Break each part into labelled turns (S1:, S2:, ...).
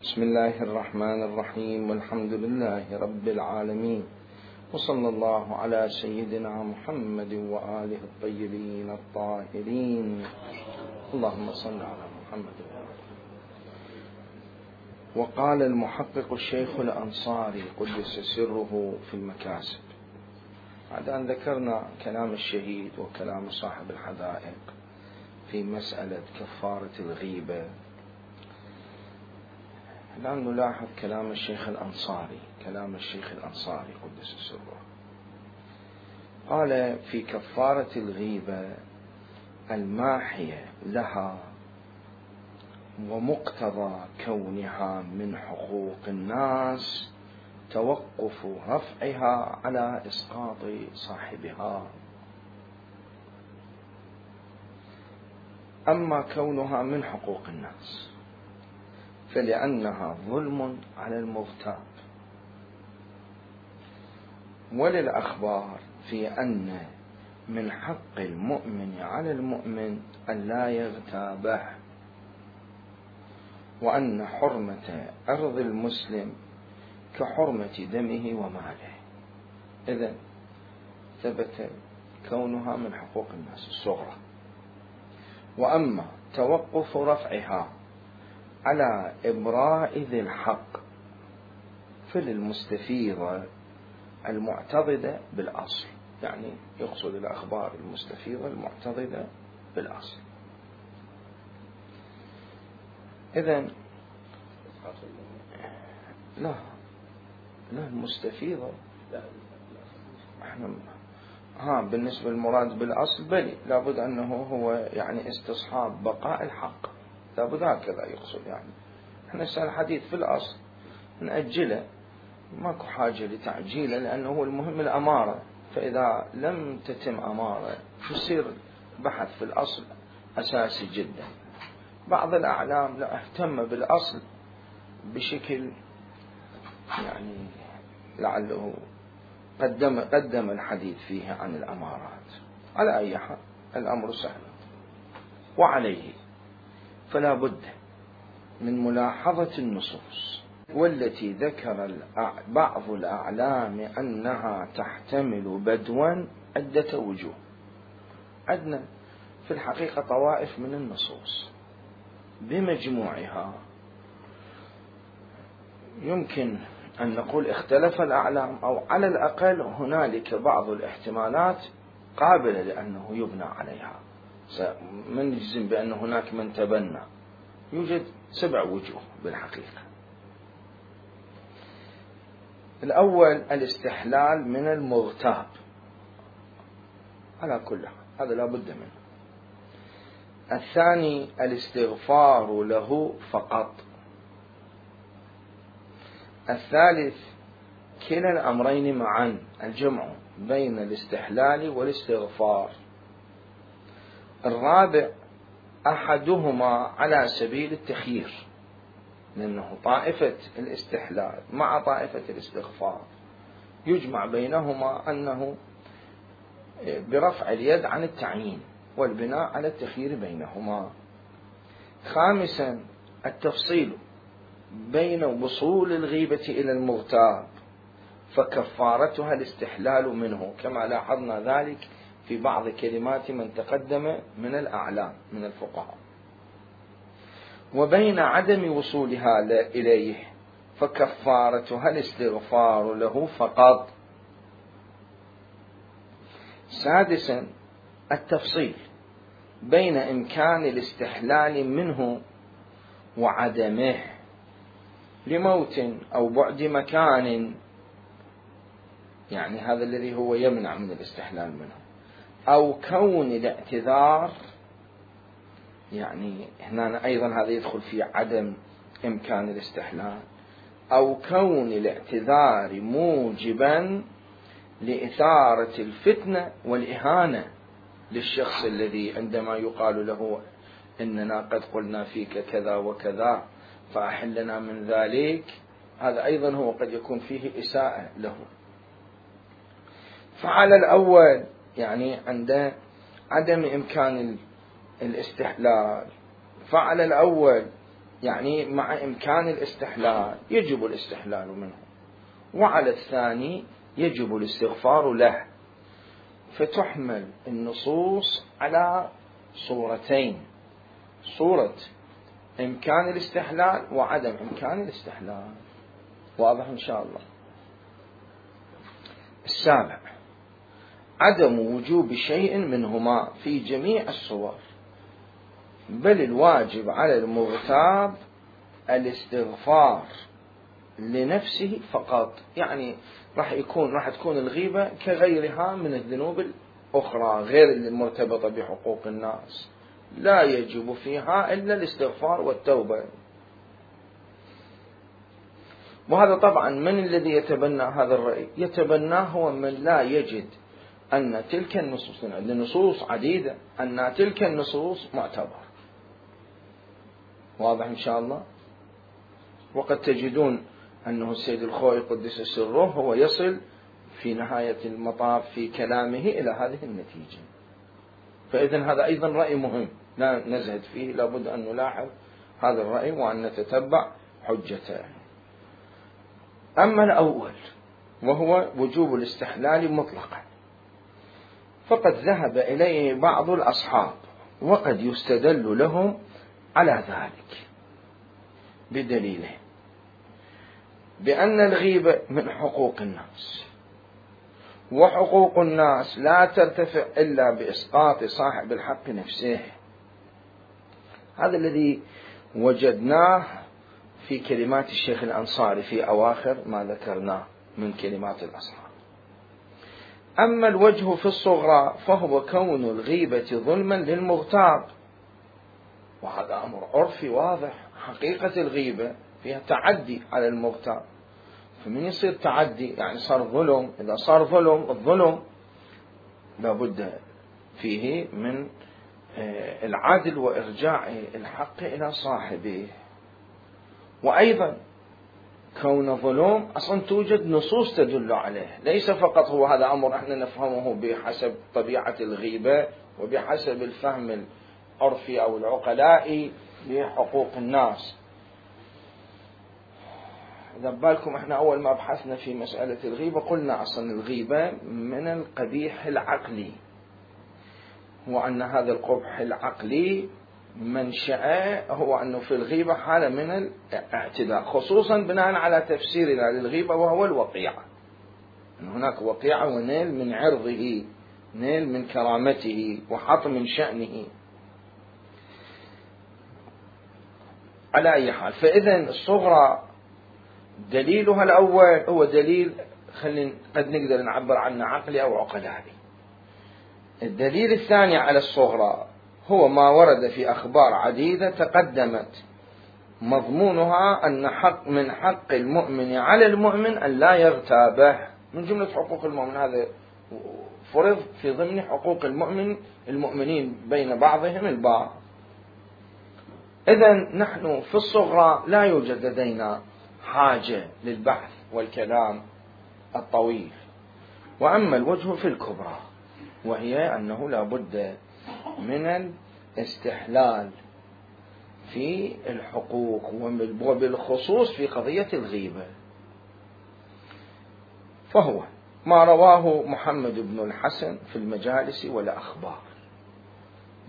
S1: بسم الله الرحمن الرحيم، والحمد لله رب العالمين، وصلى الله على سيدنا محمد وآله الطيبين الطاهرين. اللهم صل على محمد. وقال المحقق الشيخ الأنصاري قدس سره في المكاسب، بعد أن ذكرنا كلام الشهيد وكلام صاحب الحدائق في مسألة كفارة الغيبة، الآن نلاحظ كلام الشيخ الأنصاري قدس سره. قال في كفارة الغيبة الماحية لها ومقتضى كونها من حقوق الناس توقف رفعها على إسقاط صاحبها. أما كونها من حقوق الناس فلأنها ظلم على المغتاب، وللأخبار في أن من حق المؤمن على المؤمن أن لا يغتابه، وأن حرمة أرض المسلم كحرمة دمه وماله. إذن ثبت كونها من حقوق الناس الصغرى. وأما توقف رفعها على إبراء ذي الحق فللمستفيضة المعتضدة بالأصل، يعني يقصد الأخبار المستفيضة المعتضدة بالأصل. إذن لا المستفيضة بالنسبة للمراد بالأصل بلي لابد أنه هو يعني استصحاب بقاء الحق، لابد هكذا يقصد. يعني احنا الحديث في الأصل نأجله، ماكو حاجة لتعجيله، لأنه هو المهم الأمارة. فإذا لم تتم أمارة يصير بحث في الأصل أساسي جدا. بعض الأعلام لا اهتم بالأصل بشكل يعني لعله قدم الحديث فيه عن الأمارات. على أي حال الأمر سهل، وعليه فلا بد من ملاحظة النصوص، والتي ذكر بعض الأعلام أنها تحتمل بدوا عدة وجوه. عندنا في الحقيقة طوائف من النصوص بمجموعها يمكن أن نقول اختلف الأعلام، أو على الأقل هنالك بعض الاحتمالات قابلة لأنه يبنى عليها. من يجزم بأن هناك من تبنى، يوجد 7 وجوه بالحقيقة. الأول الاستحلال من المغتاب على كل حال، هذا لا بد منه. الثاني الاستغفار له فقط. الثالث كلا الأمرين معا، الجمع بين الاستحلال والاستغفار. الرابع أحدهما على سبيل التخيير، لأنه طائفة الاستحلال مع طائفة الاستغفار يجمع بينهما أنه برفع اليد عن التعيين والبناء على التخيير بينهما. خامسا التفصيل بين وصول الغيبة إلى المغتاب فكفارتها الاستحلال منه، كما لاحظنا ذلك في بعض كلمات من تقدم من الأعلام من الفقهاء. وبين عدم وصولها إليه فكفارتها الاستغفار له فقط. سادسا التفصيل بين إمكان الاستحلال منه وعدمه لموت أو بعد مكان، يعني هذا الذي هو يمنع من الاستحلال منه، أو كون الاعتذار، يعني هنا أيضا هذا يدخل في عدم إمكان الاستحلال، أو كون الاعتذار موجبا لإثارة الفتنة والإهانة للشخص الذي عندما يقال له إننا قد قلنا فيك كذا وكذا فأحلنا من ذلك، هذا أيضا هو قد يكون فيه إساءة له. فعلى الأول يعني عند عدم إمكان الاستحلال، فعلى الأول يعني مع إمكان الاستحلال يجب الاستحلال منه، وعلى الثاني يجب الاستغفار له. فتحمل النصوص على صورتين: صورة إمكان الاستحلال وعدم إمكان الاستحلال. واضح إن شاء الله. السابع: عدم وجوب شيء منهما في جميع الصور، بل الواجب على المغتاب الاستغفار لنفسه فقط. يعني راح تكون الغيبة كغيرها من الذنوب الأخرى غير المرتبطة بحقوق الناس، لا يجب فيها إلا الاستغفار والتوبة. وهذا طبعا من الذي يتبنى هذا الرأي؟ يتبناه هو من لا يجد أن تلك النصوص، النصوص عديدة، أن تلك النصوص معتبر. واضح إن شاء الله. وقد تجدون أنه السيد الخوئي قدس سره هو يصل في نهاية المطاف في كلامه إلى هذه النتيجة. فإذن هذا أيضا رأي مهم لا نزهد فيه، لابد أن نلاحظ هذا الرأي وأن نتتبع حجته. أما الأول وهو وجوب الاستحلال مطلقا، فقد ذهب إليه بعض الأصحاب، وقد يستدل لهم على ذلك بدليله بأن الغيبة من حقوق الناس، وحقوق الناس لا ترتفع إلا بإسقاط صاحب الحق نفسه. هذا الذي وجدناه في كلمات الشيخ الأنصاري في أواخر ما ذكرناه من كلمات الأصحاب. أما الوجه في الصغرى فهو كون الغيبة ظلما للمغتاب، وهذا أمر عرفي واضح. حقيقة الغيبة فيها تعدي على المغتاب، فمن يصير تعدي يعني صار ظلم. إذا صار ظلم، الظلم لابد فيه من العدل وإرجاع الحق إلى صاحبه. وأيضا كون ظلم أصلا توجد نصوص تدل عليه، ليس فقط هو هذا أمر احنا نفهمه بحسب طبيعة الغيبة وبحسب الفهم العرفي أو العقلائي لحقوق الناس. إذا بالكم احنا أول ما بحثنا في مسألة الغيبة قلنا أصلا الغيبة من القبيح العقلي، وأن هذا القبح العقلي منشأه هو أنه في الغيبة حالة من الاعتداء، خصوصا بناء على تفسيرنا للغيبة وهو الوقيعة، أن هناك وقيعة ونيل من عرضه، نيل من كرامته وحط من شأنه. على أي حال، فإذن الصغرى دليلها الأول هو دليل قد نقدر نعبر عنه عقلي أو عقلائي. الدليل الثاني على الصغرى هو ما ورد في أخبار عديدة تقدمت مضمونها أن من حق المؤمن على المؤمن أن لا يغتابه، من جملة حقوق المؤمن. هذا فرض في ضمن حقوق المؤمنين بين بعضهم البعض. إذن نحن في الصغرى لا يوجد لدينا حاجة للبحث والكلام الطويل. وأما الوجه في الكبرى، وهي أنه لا بد من الاستحلال في الحقوق وبالخصوص في قضية الغيبة، فهو ما رواه محمد بن الحسن في المجالس والأخبار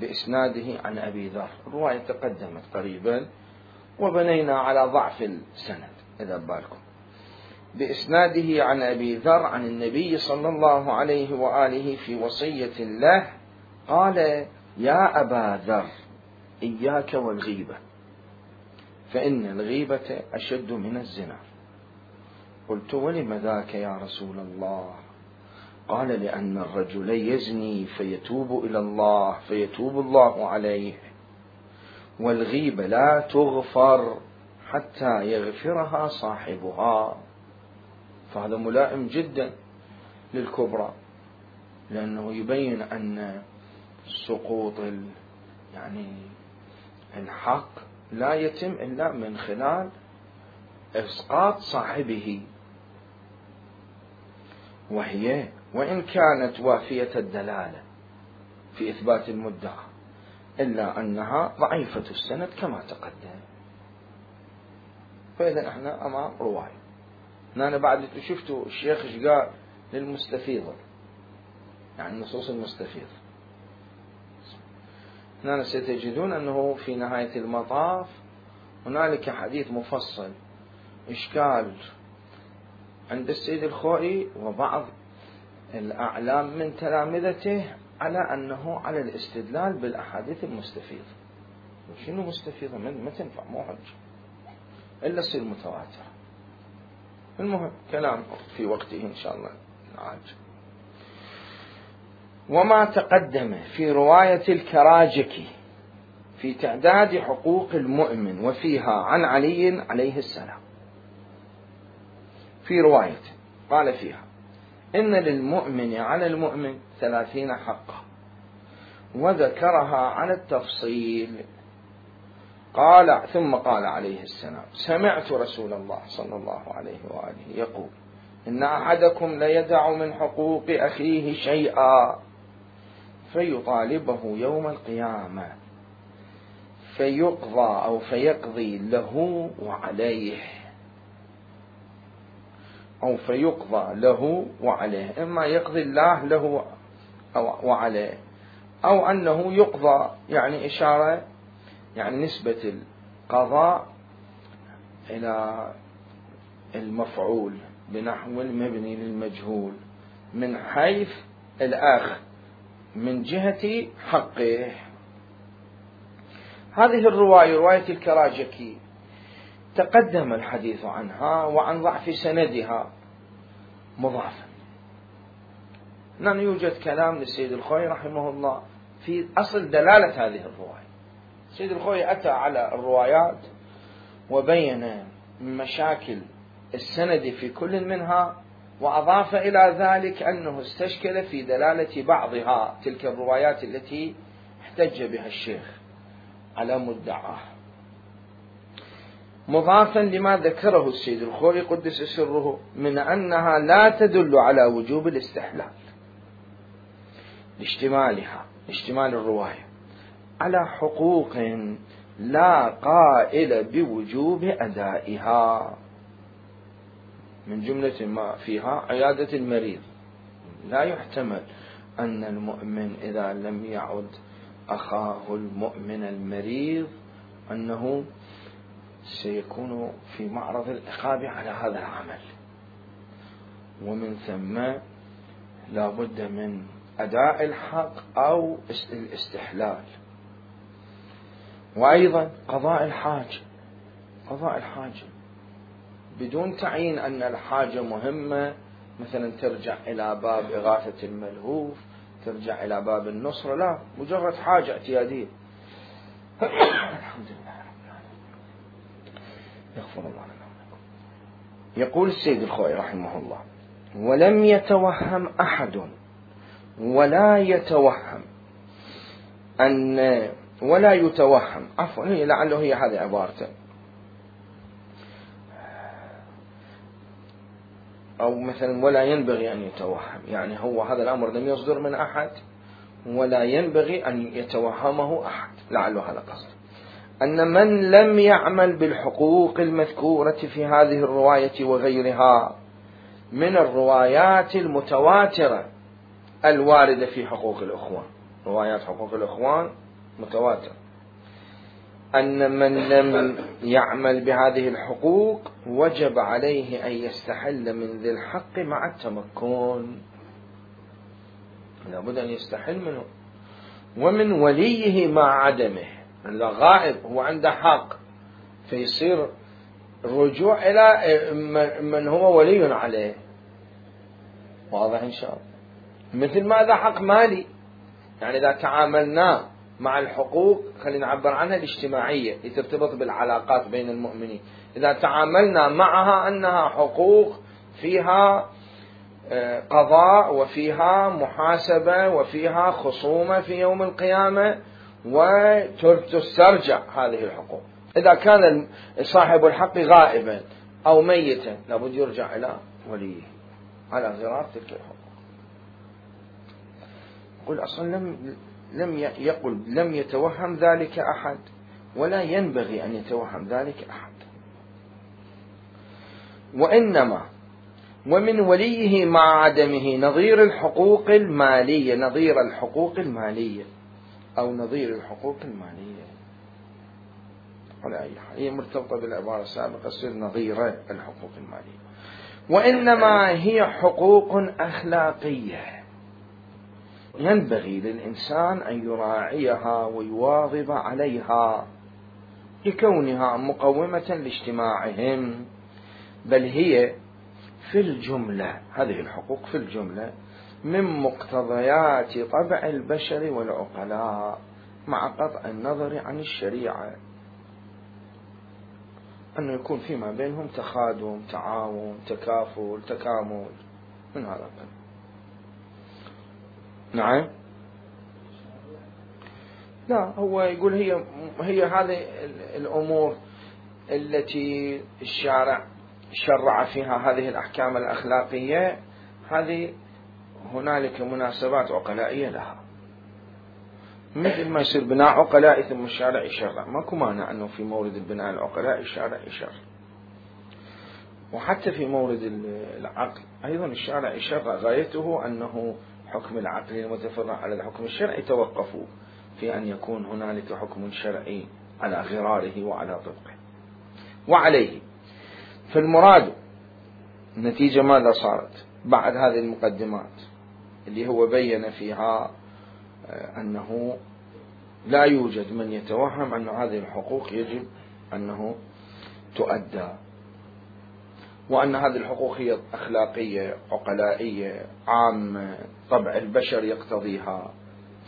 S1: بإسناده عن أبي ذر. الرواية تقدمت قريبا وبنينا على ضعف السند إذا بالكم. بإسناده عن أبي ذر عن النبي صلى الله عليه وآله في وصية له قال: يا أبا ذر إياك والغيبة، فإن الغيبة أشد من الزنا. قلت: ولم ذاك يا رسول الله؟ قال: لأن الرجل يزني فيتوب إلى الله فيتوب الله عليه، والغيبة لا تغفر حتى يغفرها صاحبها. فهذا ملائم جدا للكبرى، لأنه يبين أن سقوط الحق لا يتم إلا من خلال إسقاط صاحبه، وهي وإن كانت وافية الدلالة في إثبات المدعى إلا أنها ضعيفة السند كما تقدم. فإذا احنا أمام رواية. أنا بعد شفتوا الشيخ ايش قال للمستفيضة، يعني النصوص المستفيضة. هنا ستجدون أنه في نهاية المطاف هنالك حديث مفصل إشكال عند السيد الخوئي وبعض الأعلام من تلامذته على أنه على الاستدلال بالأحاديث المستفيضة. شنو مستفيضة؟ ما تنفع، مو حجة إلا تصير متواترة. المهم كلام في وقته إن شاء الله نعالج. وما تقدم في رواية الكراجكي في تعداد حقوق المؤمن وفيها عن علي عليه السلام، في رواية قال فيها إن للمؤمن على المؤمن 30 حقا، وذكرها على التفصيل. قال ثم قال عليه السلام: سمعت رسول الله صلى الله عليه وآله يقول: إن أحدكم ليدع من حقوق أخيه شيئا فيطالبه يوم القيامة فيقضى أو فيقضي له وعليه، أو فيقضى له وعليه، إما يقضي الله له أو وعليه، أو أنه يقضى، يعني إشارة، يعني نسبة القضاء إلى المفعول بنحو المبني للمجهول من حيث الأخ من جهة حقه. هذه الرواية رواية الكراجكي تقدم الحديث عنها وعن ضعف سندها مضافا. لأن يوجد كلام للسيد الخوئي رحمه الله في أصل دلالة هذه الرواية. السيد الخوئي أتى على الروايات وبين مشاكل السند في كل منها، وأضاف إلى ذلك أنه استشكل في دلالة بعضها، تلك الروايات التي احتج بها الشيخ على مدعاه، مضافا لما ذكره السيد الخوئي قدس سره من أنها لا تدل على وجوب الاستحلال لاشتمالها، اشتمال الرواية على حقوق لا قائل بوجوب أدائها، من جملة ما فيها عيادة المريض. لا يحتمل أن المؤمن إذا لم يعد أخاه المؤمن المريض أنه سيكون في معرض العقاب على هذا العمل، ومن ثم لا بد من أداء الحق أو الاستحلال. وأيضا قضاء الحاجة، قضاء الحاجة بدون تعيين أن الحاجة مهمة، مثلا ترجع إلى باب إغاثة الملهوف، ترجع إلى باب النصرة، لا، مجرد حاجة اعتيادية. الحمد لله رب العالمين، يغفر الله لنا. يقول السيد الخوئي رحمه الله: ولم يتوهم أحد ولا يتوهم أن ولا يتوهم، عفوا لعله هي هذه عبارته، أو مثلا ولا ينبغي أن يتوهم، يعني هو هذا الأمر لم يصدر من أحد ولا ينبغي أن يتوهمه أحد، لعله هذا قصد، أن من لم يعمل بالحقوق المذكورة في هذه الرواية وغيرها من الروايات المتواترة الواردة في حقوق الإخوان، روايات حقوق الإخوان متواترة، أن من لم يعمل بهذه الحقوق وجب عليه أن يستحل من ذي الحق مع التمكن، لابد أن يستحل منه، ومن وليه مع عدمه، إذا غائب هو عنده حق فيصير الرجوع إلى من هو ولي عليه، واضح إن شاء الله. مثل ماذا حق مالي، يعني إذا تعاملنا مع الحقوق، خلينا نعبر عنها الاجتماعية لترتبط بالعلاقات بين المؤمنين، إذا تعاملنا معها أنها حقوق فيها قضاء وفيها محاسبة وفيها خصومة في يوم القيامة وتسترجع هذه الحقوق، إذا كان صاحب الحق غائبا أو ميتا لابد يرجع إلى وليه على غرار تلك الحقوق. يقول أصلا لم يتوهم ذلك أحد ولا ينبغي أن يتوهم ذلك أحد. وإنما ومن وليه مع عدمه نظير الحقوق المالية، نظير الحقوق المالية أو نظير الحقوق المالية على أي حال هي مرتبطة بالعبارة السابقة، تصير نظير الحقوق المالية. وإنما هي حقوق أخلاقية ينبغي للإنسان أن يراعيها ويواظب عليها لكونها مقومة لاجتماعهم، بل هي في الجملة، هذه الحقوق في الجملة من مقتضيات طبع البشر والعقلاء مع قطع النظر عن الشريعة، أنه يكون فيما بينهم تخادم، تعاون، تكافل، تكامل من هذا القبيل. نعم، لا هو يقول هي هذه الأمور التي الشارع شرع فيها هذه الأحكام الأخلاقية، هذه هنالك مناسبات عقلائية لها، مثل ما يصير بناء عقلائي ثم الشارع يشرع، ماكو مانع أنه في مورد البناء العقلائي الشارع يشرع، وحتى في مورد العقل أيضا الشارع يشرع، غايته أنه حكم العقل المتفرع على الحكم الشرعي يتوقفوا في أن يكون هنالك حكم شرعي على غراره وعلى طبقه. وعليه فالمراد النتيجة ماذا صارت بعد هذه المقدمات اللي هو بين فيها أنه لا يوجد من يتوهم أن هذه الحقوق يجب أنه تؤدى، وأن هذه الحقوق هي أخلاقية عقلائية عامة طبع البشر يقتضيها،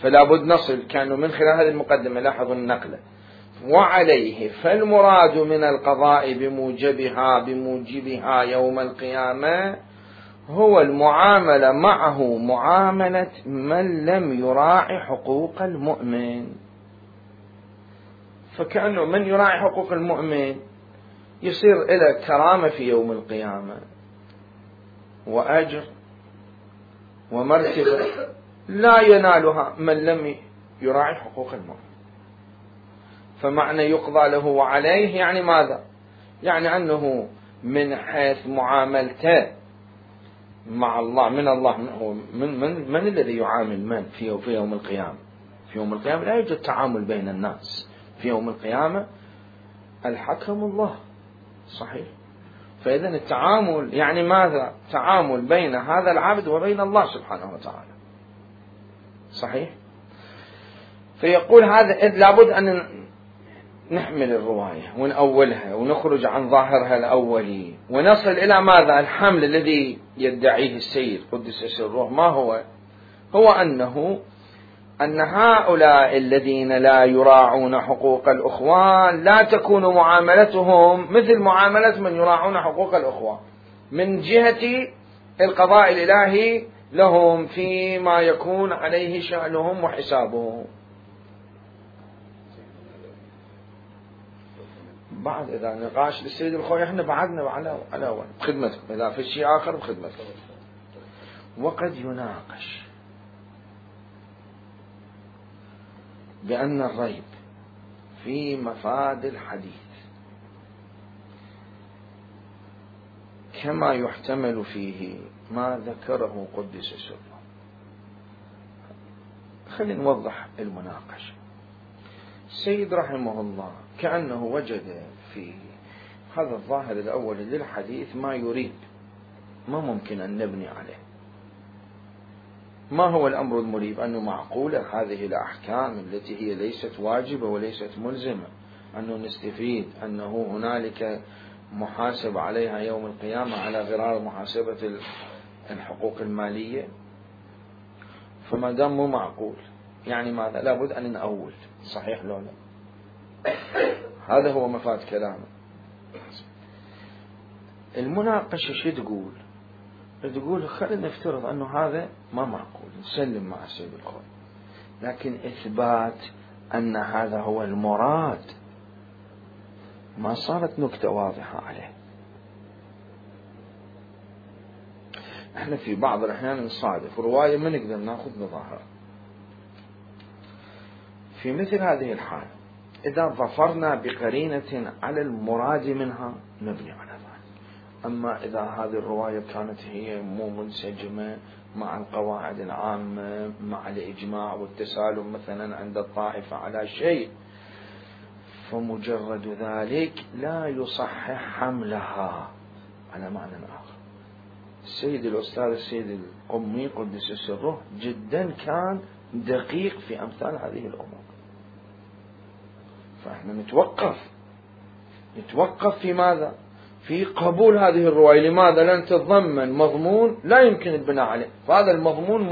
S1: فلا بد نصل كانوا من خلال هذه المقدمة لاحظوا النقلة. وعليه فالمراد من القضاء بموجبها يوم القيامة هو المعاملة معه معاملة من لم يراعي حقوق المؤمن، فكأنه من يراعي حقوق المؤمن يصير إلى كرامة في يوم القيامة وأجر ومرتبة لا ينالها من لم يراعي حقوق المؤمن. فمعنى يقضى له وعليه يعني ماذا؟ يعني أنه من حيث معاملته مع الله من الله من الذي يعامل من في يوم القيامة؟ في يوم القيامة لا يوجد تعامل بين الناس، في يوم القيامة الحكم الله، صحيح؟ فإذا التعامل يعني ماذا؟ تعامل بين هذا العبد وبين الله سبحانه وتعالى، صحيح؟ فيقول هذا لابد أن نحمل الرواية ونأولها ونخرج عن ظاهرها الأولي ونصل إلى ماذا؟ الحمل الذي يدعيه السيد قدس سره، ما هو؟ هو أن هؤلاء الذين لا يراعون حقوق الأخوان لا تكون معاملتهم مثل معاملة من يراعون حقوق الأخوان من جهة القضاء الإلهي لهم فيما يكون عليه شأنهم وحسابهم. بعد إذا نقاش للسيد الخوي احنا بعدنا على بخدمتكم، إذا في شيء آخر بخدمتكم. وقد يناقش بأن الريب في مفاد الحديث كما يحتمل فيه ما ذكره قدس سره. خلينا نوضح المناقشة. السيد رحمه الله كأنه وجد في هذا الظاهر الأول للحديث ما يريد، ما ممكن أن نبني عليه. ما هو الأمر المريب؟ أنه معقولة هذه الأحكام التي هي ليست واجبة وليست ملزمة أنه نستفيد أنه هنالك محاسب عليها يوم القيامة على غرار محاسبة الحقوق المالية؟ فما دام مو معقول يعني ماذا؟ لابد أن نأول، صحيح لو لا؟ هذا هو مفاد كلامه. المناقشة شو تقول؟ تقول خلينا نفترض أنه هذا ما معقول، نسلم مع السيد الخوي، لكن إثبات أن هذا هو المراد ما صارت نكتة واضحة عليه. احنا في بعض الأحيان نصادف رواية ما نقدر ناخذ بظاهرها. في مثل هذه الحالة إذا ظفرنا بقرينة على المراد منها نبني على ذلك. أما إذا هذه الرواية كانت هي مو منسجمة مع القواعد العامة، مع الإجماع والتسالم مثلا عند الطائفة على شيء، فمجرد ذلك لا يصحح حملها على معنى آخر. السيد الأستاذ السيد القمي قدس سره جدا كان دقيق في أمثال هذه الأمور. فإحنا نتوقف في ماذا؟ في قبول هذه الرواية. لماذا؟ لأن تتضمن مضمون لا يمكن البناء عليه، فهذا المضمون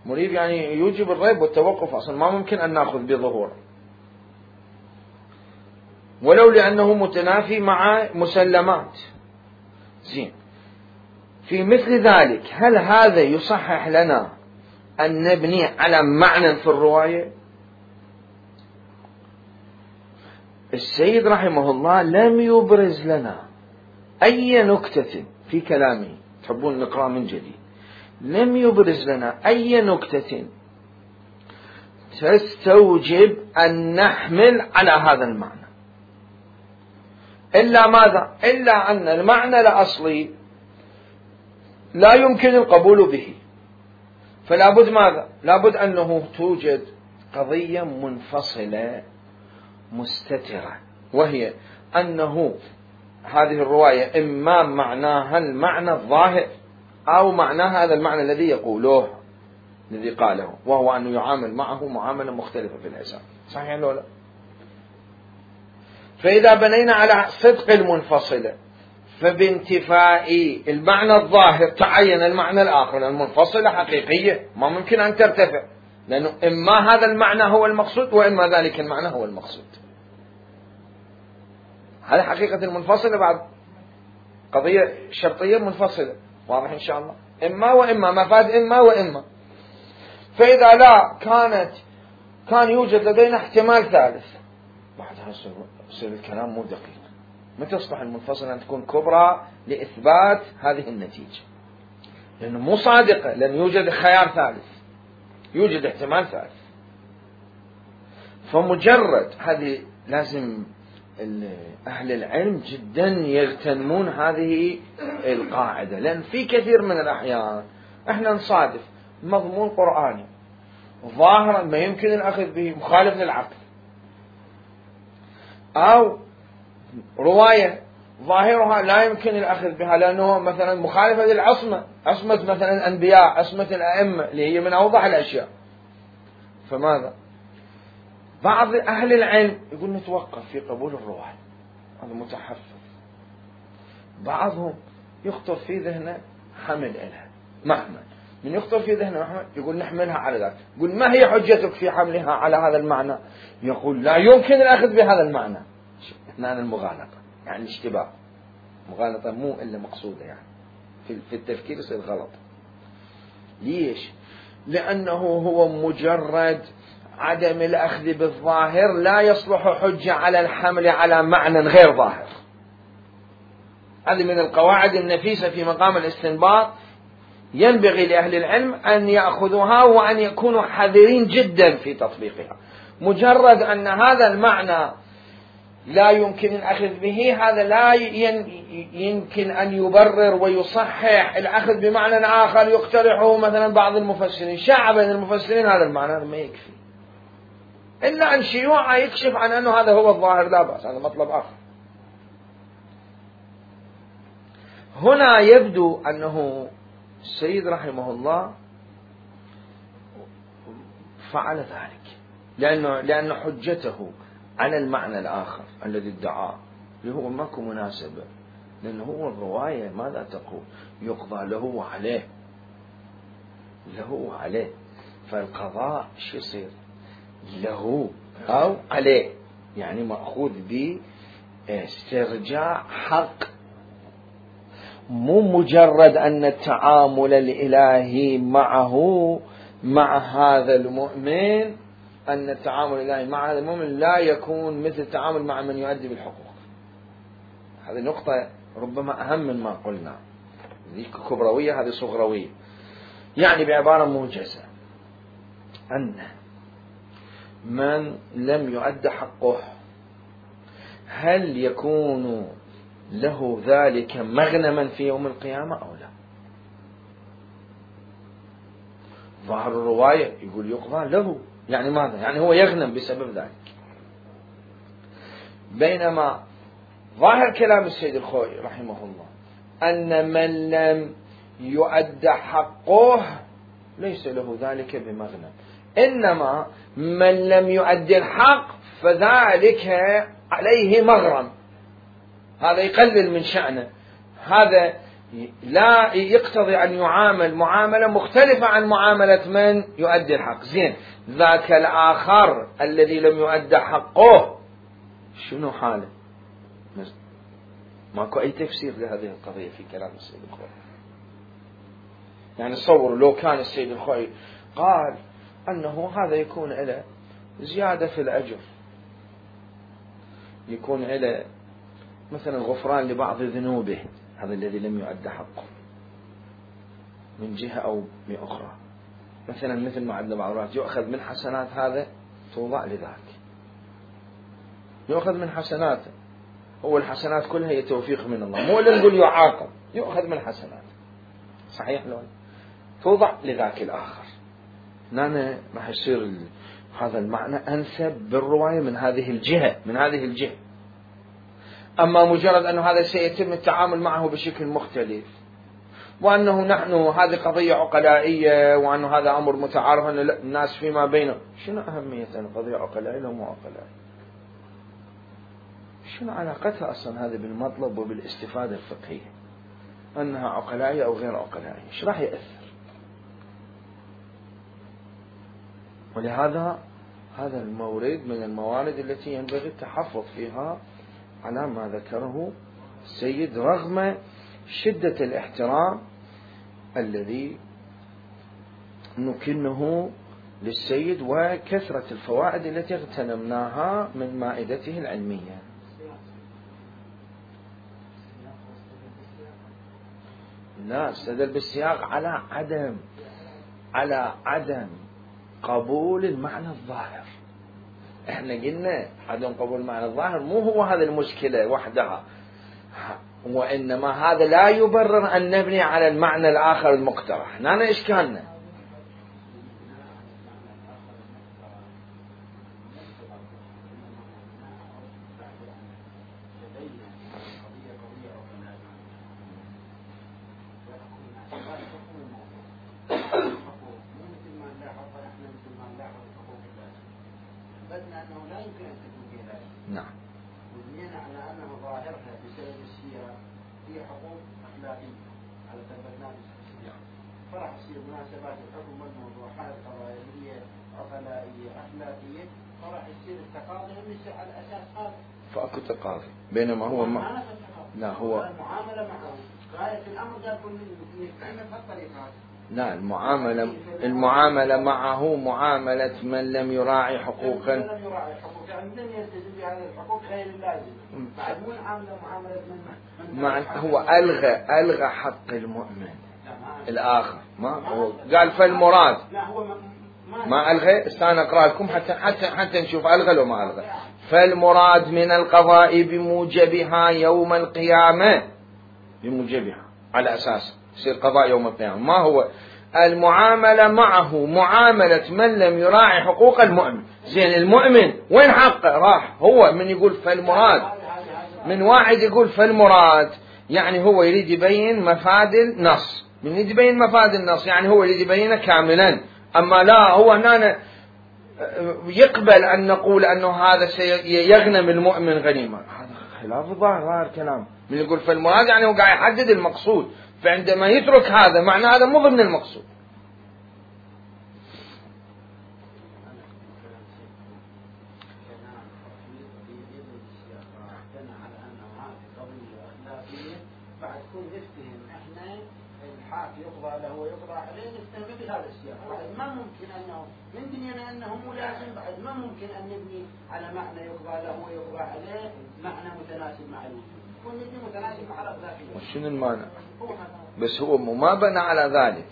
S1: مريب يعني يوجب الريب والتوقف، أصلا ما ممكن أن نأخذ بظهوره، ولو لأنه متنافي مع مسلمات. زين، في مثل ذلك هل هذا يصحح لنا أن نبني على معنى في الرواية؟ السيد رحمه الله لم يبرز لنا أي نكتة في كلامه، تحبون نقرأ من جديد، لم يبرز لنا أي نكتة تستوجب أن نحمل على هذا المعنى، إلا ماذا؟ إلا أن المعنى الأصلي لا يمكن القبول به، فلا بد ماذا؟ لا بد أنه توجد قضية منفصلة مستترة، وهي أنه هذه الرواية إما معناها المعنى الظاهر أو معناها هذا المعنى الذي يقوله الذي قاله، وهو أنه يعامل معه معاملة مختلفة في الحساب. صحيح ولا لا؟ فإذا بنينا على صدق المنفصلة، فبانتفاء المعنى الظاهر تعين المعنى الآخر. المنفصلة حقيقية ما ممكن أن ترتفع، لأنه إما هذا المعنى هو المقصود وإما ذلك المعنى هو المقصود. هذه حقيقة المنفصلة، بعد قضية شرطية منفصلة، واضح إن شاء الله، إما وإما، مفاد إما وإما. فإذا لا كان يوجد لدينا احتمال ثالث، بعدها يصير الكلام مو دقيق. متى تصبح المنفصلة أن تكون كبرى لإثبات هذه النتيجة؟ لأنه مو صادقة، لأن يوجد خيار ثالث، يوجد احتمال ثالث. فمجرد هذه لازم أهل العلم جدا يغتنمون هذه القاعدة، لأن في كثير من الأحيان احنا نصادف مضمون قرآني ظاهرا ما يمكن الأخذ به، مخالف للعقل، أو رواية ظاهرها لا يمكن الأخذ بها لأنه مثلا مخالفة للعصمة، عصمة مثلا الأنبياء، عصمة الأئمة اللي هي من أوضح الأشياء. فماذا؟ بعض أهل العلم يقول نتوقف في قبول الرواية، هذا متحفظ. بعضهم يخطر في ذهنه حمل إلها، محمل من يخطر في ذهنه محمل يقول نحملها على ذلك. يقول ما هي حجتك في حملها على هذا المعنى؟ يقول لا يمكن الأخذ بهذا المعنى. هنا المغالطة، يعني اشتباه، مغالطة مو إلا مقصودة، يعني في التفكير يصير غلط. ليش؟ لأنه هو مجرد عدم الأخذ بالظاهر لا يصلح حجة على الحمل على معنى غير ظاهر. هذه من القواعد النفيسة في مقام الاستنباط، ينبغي لأهل العلم أن يأخذوها وأن يكونوا حذرين جدا في تطبيقها. مجرد أن هذا المعنى لا يمكن الأخذ به، هذا لا يمكن أن يبرر ويصحح الأخذ بمعنى آخر يقترحه مثلا بعض المفسرين. شاع بين المفسرين هذا المعنى، هذا ما يكفي، إلا أن شيوعا يكشف عن أنه هذا هو الظاهر، لا بأس، هذا مطلب آخر. هنا يبدو أنه السيد رحمه الله فعل ذلك لأن حجته على المعنى الآخر الذي ادعاه اللي هو ماكو مناسبة، لأنه هو الرواية ماذا تقول؟ يقضى له وعليه، له عليه، فالقضاء شو يصير؟ له أو عليه، يعني مأخوذ باسترجاع حق، مو مجرد أن التعامل الإلهي معه مع هذا المؤمن، أن التعامل الإلهي مع هذا المؤمن لا يكون مثل التعامل مع من يؤدي بالحقوق. هذه نقطة ربما أهم من ما قلنا، ذيك كبروية هذه صغروية. يعني بعبارة موجزة أن من لم يؤد حقه هل يكون له ذلك مغنما في يوم القيامة أو لا؟ ظاهر الرواية يقول يقضى له، يعني ماذا؟ يعني هو يغنم بسبب ذلك. بينما ظاهر كلام السيد الخوئي رحمه الله أن من لم يؤد حقه ليس له ذلك بمغنم، إنما من لم يؤد الحق فذلك عليه مغرم، هذا يقلل من شأنه، هذا لا يقتضي أن يعامل معاملة مختلفة عن معاملة من يؤدي الحق. زين، ذاك الآخر الذي لم يؤد حقه شنو حاله؟ ماكو أي تفسير لهذه القضية في كلام السيد الخوئي. يعني تصوروا لو كان السيد الخوئي قال أنه هذا يكون له زيادة في الأجر، يكون له مثلا غفران لبعض ذنوبه، هذا الذي لم يؤد حقه من جهة أو من أخرى، مثلا مثل ما عندنا بعض يؤخذ من حسنات هذا توضع لذاك، يؤخذ من حسناته، هو الحسنات كلها هي توفيق من الله، مو اللي نقول يعاقب، يؤخذ من حسناته، صحيح لو توضع لذاك الآخر. هنا راح يصير هذا المعنى أنسب بالرواية من هذه الجهة. أما مجرد أنه هذا سيتم التعامل معه بشكل مختلف، وأنه نحن هذه قضية عقلائية، وأنه هذا أمر متعارف أن الناس فيما بينهم، شنو أهمية أن قضية عقلائية ومو عقلائية؟ شنو علاقتها أصلا هذا بالمطلب وبالاستفادة الفقهية؟ أنها عقلائية أو غير عقلائية، إيش راح يأثر؟ ولهذا هذا المورد من الموارد التي ينبغي التحفظ فيها على ما ذكره السيد، رغم شدة الاحترام الذي نكنه للسيد وكثرة الفوائد التي اغتنمناها من مائدته العلمية. لا، استدل بالسياق على عدم قبول المعنى الظاهر. احنا قلنا عدم قبول المعنى الظاهر مو هو هذا المشكلة وحدها، وإنما هذا لا يبرر أن نبني على المعنى الآخر المقترح. هنا إشكالنا. نعم.
S2: وبنينا على أنه ظاهرها بسبب السياق هي حقوق أخلاقية على ثبتناه بالسياق، فرح تصير مناسبات الحكم والموضوعات قضائية عقلائية أخلاقية، فرح يصير التقاضي يصير على أساس هذا.
S1: فأكو تقاضي، بينما هو لا هو
S2: المعاملة معه غاية الأمر قال كل نستعمل بهالطريقة.
S1: لا، المعاملة معه معاملة من لم يراعي حقوقا،
S2: لم يراعي حقوق، يعني لم يلتزم بهذه الحقوق غير اللازم، بعد مو معاملة من
S1: هو ألغى حق المؤمن الآخر، ما هو قال فالمراد،
S2: لا هو
S1: ما ألغى. استنى أقرأ لكم حتى نشوف ألغى لو ما ألغى. فالمراد من القضاء بموجبها يوم القيامة، بموجبها على أساس يصير قضاء يوم القيامة. ما هو المعاملة معه معاملة من لم يراعي حقوق المؤمن. زين، المؤمن وين حقه؟ راح هو من يقول فالمراد، من واحد يقول فالمراد يعني هو يريد يبين مفاد النص، من يريد يبين مفاد النص يعني هو يريد يبينه كاملا. أما لا، هو هنا يقبل أن نقول أنه هذا سيغنم المؤمن غنيمة، هذا خلاف ظاهر كلام. من يقول فالمراد يعني هو قاعد يحدد المقصود، فعندما يترك هذا معنى هذا مو ضمن المقصود.
S2: بعد كل نفتهم احنا الحاكم يقضى له ويقضى عليه نفتهم بهذا السياق، ما ممكن انه من دنيانا انه مو لازم، بعد ما ممكن ان نبني على معنى يقضى له ويقضى عليه معنى متناسب مع الوجود، ونبني متناسب مع الأخلاقية.
S1: وشنو المعنى؟ بس هو ما بنى على ذلك.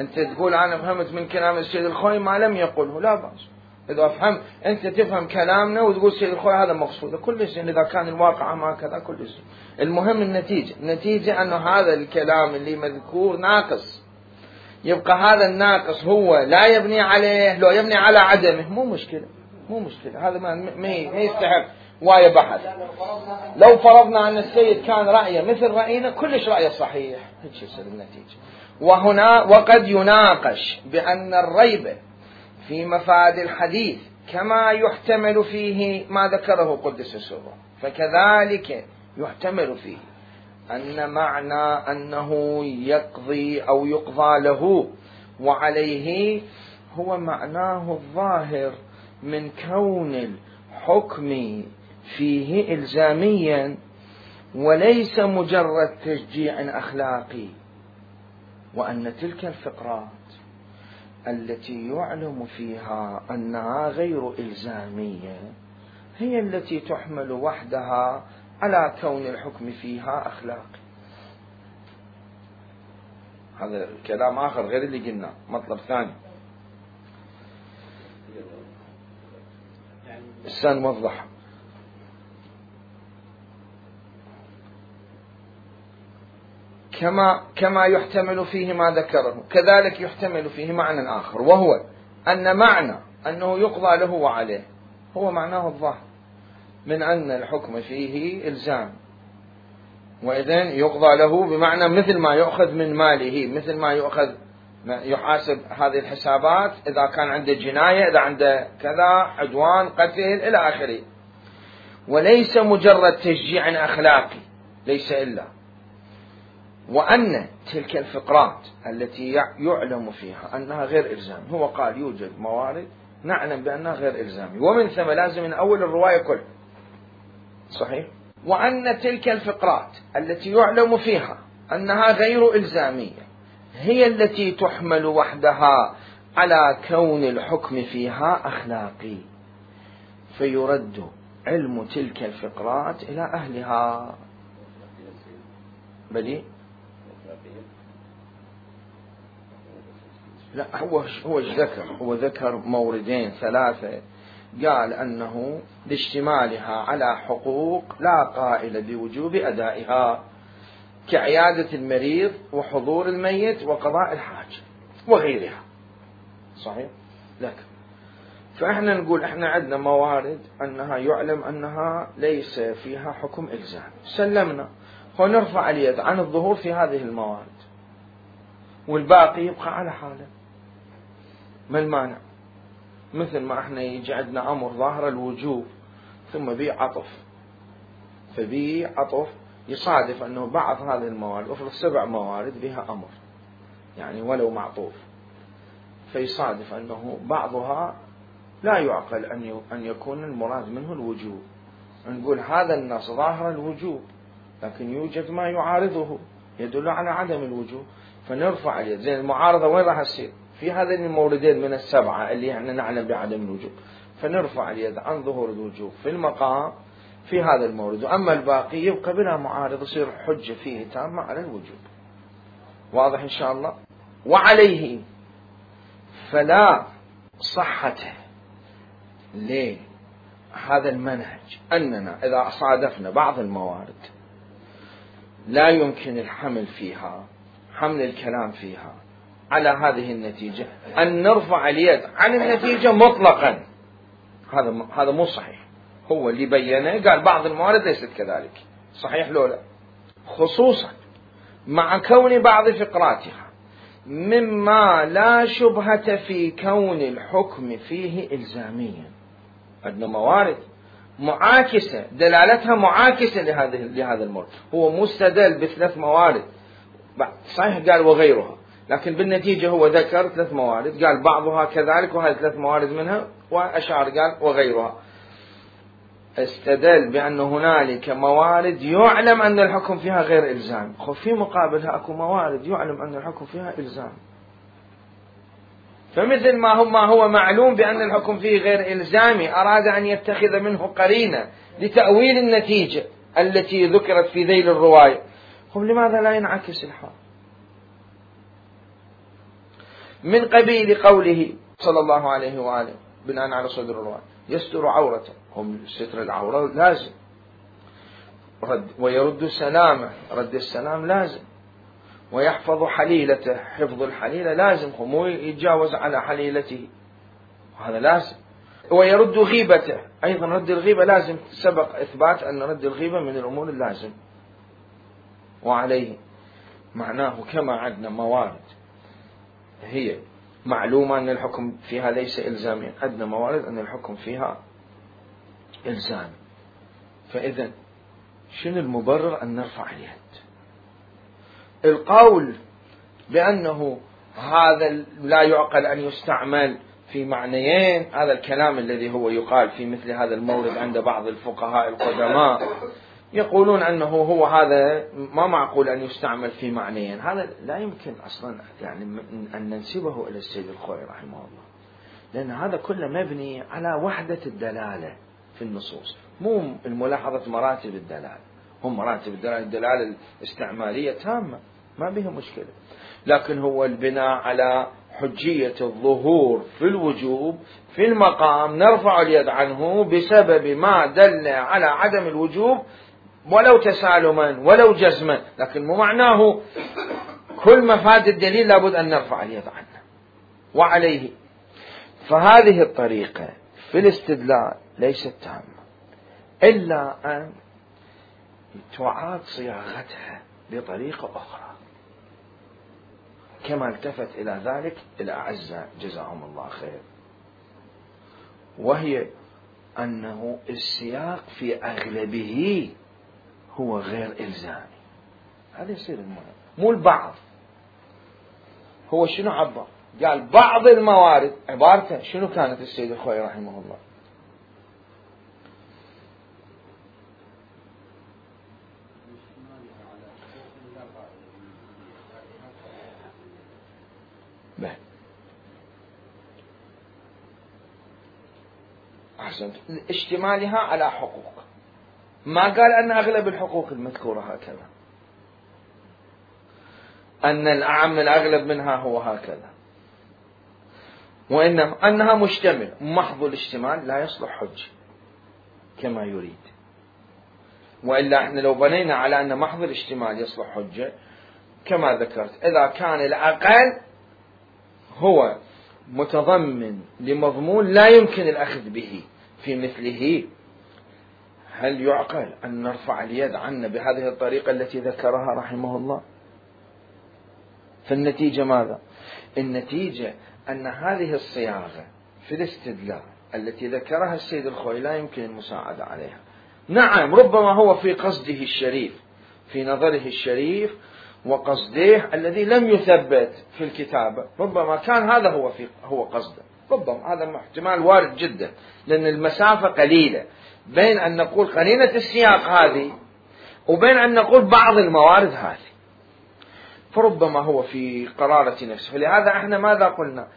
S1: أنت تقول أنا فهمت من كلام السيد الخوئي ما لم يقله، لا بأس، إذا أفهم أنت تفهم كلامنا وتقول سيد الخوي هذا مقصود كل شيء، إذا كان الواقع ما كذا كل شيء. المهم النتيجة أنه هذا الكلام اللي مذكور ناقص، يبقى هذا الناقص هو لا يبني عليه، لو يبني على عدمه مو مشكلة، هذا ما يستحق وايا بحث. لو فرضنا أن السيد كان رأيه مثل رأينا كلش رأيه صحيح، هيك يصير النتيجة. وهنا وقد يناقش بأن الريب في مفاد الحديث كما يحتمل فيه ما ذكره قدس سره، فكذلك يحتمل فيه أن معنى أنه يقضي أو يقضى له وعليه هو معناه الظاهر من كون الحكم فيه إلزاميا وليس مجرد تشجيع أخلاقي، وأن تلك الفقرات التي يعلم فيها أنها غير إلزامية هي التي تحمل وحدها على كون الحكم فيها أخلاقي. هذا كلام آخر غير اللي قلنا، مطلب ثاني سنوضح. كما يحتمل فيه ما ذكره كذلك يحتمل فيه معنى آخر، وهو أن معنى أنه يقضى له وعليه هو معناه الظاهر من أن الحكم فيه إلزام، وإذن يقضى له بمعنى مثل ما يؤخذ من ماله، مثل ما يحاسب هذه الحسابات إذا كان عنده جناية، إذا عنده كذا عدوان قتل إلى آخره، وليس مجرد تشجيع أخلاقي ليس إلا. وأن تلك الفقرات التي يعلم فيها أنها غير إلزام، هو قال يوجد موارد نعلم بأنها غير إلزامي، ومن ثم لازم من أول الرواية كلها صحيح. وأن تلك الفقرات التي يعلم فيها أنها غير إلزامية هي التي تحمل وحدها على كون الحكم فيها أخلاقي، فيرد علم تلك الفقرات إلى أهلها. بلي لا، هو ذكر موردين ثلاثة، قال أنه لاشتمالها على حقوق لا قائل بوجوب أدائها كعيادة المريض وحضور الميت وقضاء الحاجة وغيرها صحيح. لكن فإحنا نقول إحنا عندنا موارد أنها يعلم أنها ليس فيها حكم إلزام، سلمنا، ونرفع اليد عن الظهور في هذه الموارد والباقي يبقى على حاله. ما المانع؟ مثل ما احنا يجي عندنا أمر ظاهر الوجوب ثم بيه عطف، فبيه عطف يصادف أنه بعض هذه الموارد، أفرض 7 موارد بها أمر يعني ولو معطوف، فيصادف أنه بعضها لا يعقل أن يكون المراد منه الوجوب، نقول هذا النص ظاهر الوجوب لكن يوجد ما يعارضه يدل على عدم الوجوب، فنرفع اليد. زين المعارضة وين راح تصير؟ في هذين الموردين من 7 اللي احنا نعلم بعدم الوجوب، فنرفع اليد عن ظهور الوجوب في المقام في هذا المورد، وأما الباقي يبقى بلا معارض يصير حجة فيه تامة على الوجوب. واضح إن شاء الله. وعليه فلا صحة لهذا المنهج أننا إذا صادفنا بعض الموارد لا يمكن الحمل فيها، حمل الكلام فيها على هذه النتيجة، أن نرفع اليد عن النتيجة مطلقا. هذا مو صحيح. هو اللي بينه قال بعض الموارد ليست كذلك، صحيح لولا، خصوصا مع كون بعض فقراتها مما لا شبهة في كون الحكم فيه إلزاميا. عندنا موارد معاكسة دلالتها معاكسة لهذا المورد، هو مستدل ب3 موارد صحيح قال وغيرها، لكن بالنتيجة هو ذكر 3 موارد قال بعضها كذلك وهذه 3 موارد منها، وأشعر قال وغيرها، استدل بأن هنالك موارد يعلم أن الحكم فيها غير إلزام، في مقابلها أكو موارد يعلم أن الحكم فيها إلزام. فمثل ما هو معلوم بأن الحكم فيه غير إلزامي أراد أن يتخذ منه قرينة لتأويل النتيجة التي ذكرت في ذيل الرواية، لماذا لا ينعكس الحال؟ من قبيل قوله صلى الله عليه وآله بناء على صدر الرواية يستر عورته، هم ستر العورة لازم، ويرد سلامه، رد السلام لازم، ويحفظ حليلته، حفظ الحليلة لازم، مو يتجاوز على حليلته، هذا لازم، ويرد غيبته، أيضا رد الغيبة لازم، سبق إثبات أن رد الغيبة من الأمور اللازم. وعليه معناه كما عندنا موارد هي معلومة أن الحكم فيها ليس إلزاميا، عندنا موارد أن الحكم فيها إلزامي. فإذا شنو المبرر أن نرفع اليد؟ القول بأنه هذا لا يعقل أن يستعمل في معنيين، هذا الكلام الذي هو يقال في مثل هذا المورد عند بعض الفقهاء القدماء، يقولون أنه هو هذا ما معقول أن يستعمل في معنيين، هذا لا يمكن أصلا يعني أن ننسبه إلى السيد الخوئي رحمه الله، لأن هذا كله مبني على وحدة الدلالة في النصوص، مو الملاحظة مراتب الدلالة، هم مراتب الدلالة الاستعمالية تامة ما بها مشكلة، لكن هو البناء على حجية الظهور في الوجوب في المقام نرفع اليد عنه بسبب ما دل على عدم الوجوب ولو تسالما ولو جزما، لكن مو معناه كل مفاد الدليل لابد أن نرفع اليد عنه. وعليه فهذه الطريقة في الاستدلال ليست تامة إلا أن تعاد صياغتها بطريقة أخرى، كما التفت إلى ذلك الأعزاء جزاهم الله خير، وهي أنه السياق في أغلبه هو غير إلزامي، هذا يصير المهم، مو البعض. هو شنو عبر؟ قال بعض الموارد، عبارته شنو كانت السيد الخوئي رحمه الله؟ أحسنت، اشتمالها على حقوق، ما قال أن أغلب الحقوق المذكورة هكذا، أن الأعم الأغلب منها هو هكذا، وإنما أنها مشتمل، محض الاشتمال لا يصلح حج كما يريد، وإلا احنا لو بنينا على أن محض الاشتمال يصلح حجة كما ذكرت، إذا كان الأقل هو متضمن لمضمون لا يمكن الأخذ به في مثله، هل يعقل أن نرفع اليد عنه بهذه الطريقة التي ذكرها رحمه الله؟ فالنتيجة ماذا؟ النتيجة أن هذه الصياغة في الاستدلال التي ذكرها السيد الخوئي لا يمكن المساعدة عليها. نعم ربما هو في قصده الشريف، في نظره الشريف وقصده الذي لم يثبت في الكتابة، ربما كان هذا هو قصده، ربما هذا احتمال وارد جدا، لأن المسافة قليلة بين أن نقول قرينة السياق هذه وبين أن نقول بعض الموارد هذه، فربما هو في قرارة نفسه. فلهذا احنا ماذا قلنا؟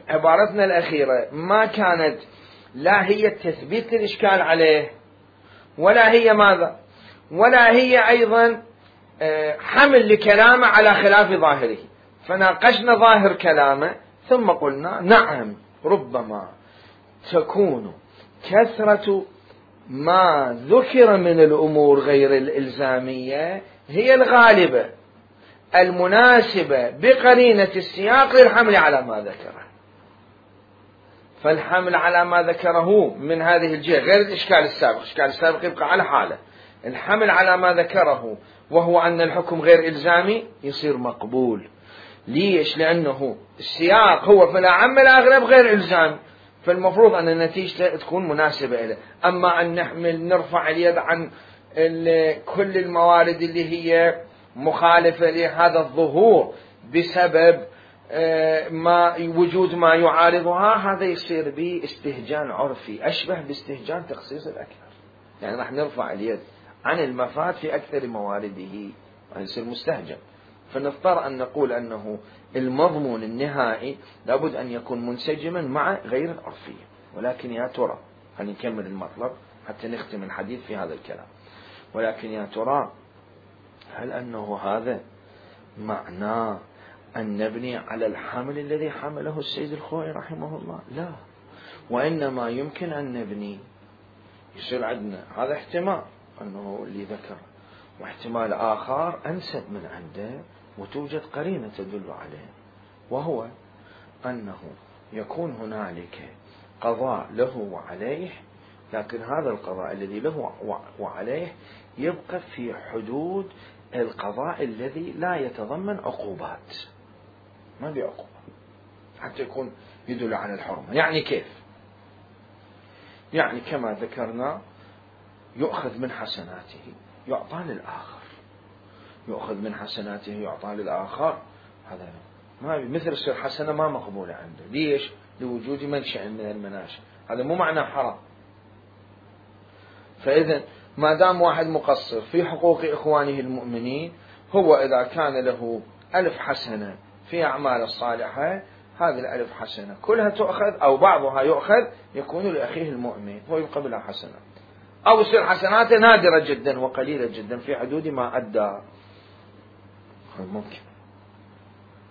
S1: عبارتنا الأخيرة ما كانت لا هي تثبيت الإشكال عليه، ولا هي ماذا، ولا هي أيضا حمل لكلامه على خلاف ظاهره، فناقشنا ظاهر كلامه ثم قلنا نعم ربما تكون كثرة ما ذكر من الأمور غير الإلزامية هي الغالبة المناسبة بقرينة السياق للحمل على ما ذكره، فالحمل على ما ذكره من هذه الجهة غير الإشكال السابق، الإشكال السابق يبقى على حاله، الحمل على ما ذكره وهو أن الحكم غير إلزامي يصير مقبول. ليش؟ لأنه السياق هو في الأعم الأغلب غير إلزامي، فالمفروض أن النتيجة تكون مناسبة إليه. أما أن نرفع اليد عن كل الموارد اللي هي مخالفة لهذا الظهور بسبب وجود ما يعارضها، هذا يصير باستهجان عرفي أشبه باستهجان تخصيص الأكثر، يعني راح نرفع اليد عن المفاد في أكثر موارده، يصير مستهجن. فنضطر أن نقول أنه المضمون النهائي لابد أن يكون منسجما مع غير العرفية. ولكن يا ترى، خلينا نكمل المطلب حتى نختم الحديث في هذا الكلام، ولكن يا ترى هل أنه هذا معناه أن نبني على الحمل الذي حمله السيد الخوئي رحمه الله؟ لا، وإنما يمكن أن نبني. يصير عندنا هذا احتمال أنه اللي ذكر، واحتمال آخر أنسب من عنده وتوجد قرينة تدل عليه، وهو أنه يكون هنالك قضاء له وعليه، لكن هذا القضاء الذي له وعليه يبقى في حدود القضاء الذي لا يتضمن عقوبات، ما بعقوبة، حتى يكون يدل على الحرمة. يعني كيف؟ يعني كما ذكرنا يؤخذ من حسناته يعطى للآخر، يؤخذ من حسناته يعطى للآخر، هذا ما مثل السر حسنة ما مقبولة عنده. ليش؟ لوجود منشأ من المناشئ، هذا مو معنى حرام. فإذا ما دام واحد مقصر في حقوق إخوانه المؤمنين، هو إذا كان له 1000 حسنة في أعمال الصالحة، هذه 1000 حسنة كلها تؤخذ أو بعضها يؤخذ يكون لأخيه المؤمن، هو يبقى بلا حسنة، أو يصير حسناته نادرة جدا وقليلة جدا في حدود ما أدى، ممكن.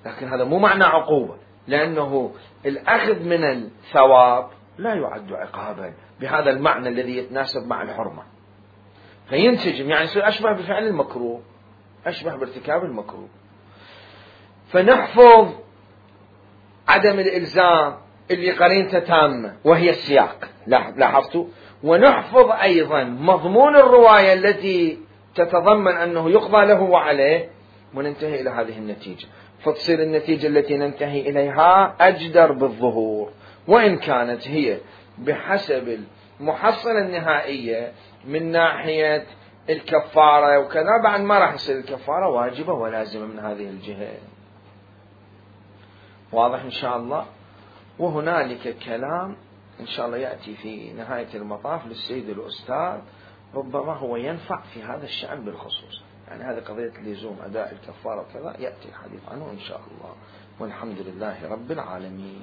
S1: لكن هذا مو معنى عقوبة، لأنه الأخذ من الثواب لا يعد عقابا بهذا المعنى الذي يتناسب مع الحرمة، فينسجم، يعني يصير أشبه بفعل المكروه، أشبه بارتكاب المكروه. فنحفظ عدم الإلزام اللي قرينته تامة وهي السياق، لاحظتوا، ونحفظ أيضا مضمون الرواية التي تتضمن أنه يقضى له وعليه، وننتهي إلى هذه النتيجة، فتصير النتيجة التي ننتهي إليها أجدر بالظهور، وإن كانت هي بحسب المحصلة النهائية من ناحية الكفارة وكذا، بعد ما راح يصير الكفارة واجبة ولازمة من هذه الجهة. واضح إن شاء الله؟ وهنالك كلام إن شاء الله يأتي في نهاية المطاف للسيد الأستاذ، ربما هو ينفع في هذا الشأن بالخصوص، يعني هذه قضية لزوم أداء الكفارة وكذا يأتي الحديث عنه إن شاء الله، والحمد لله رب العالمين.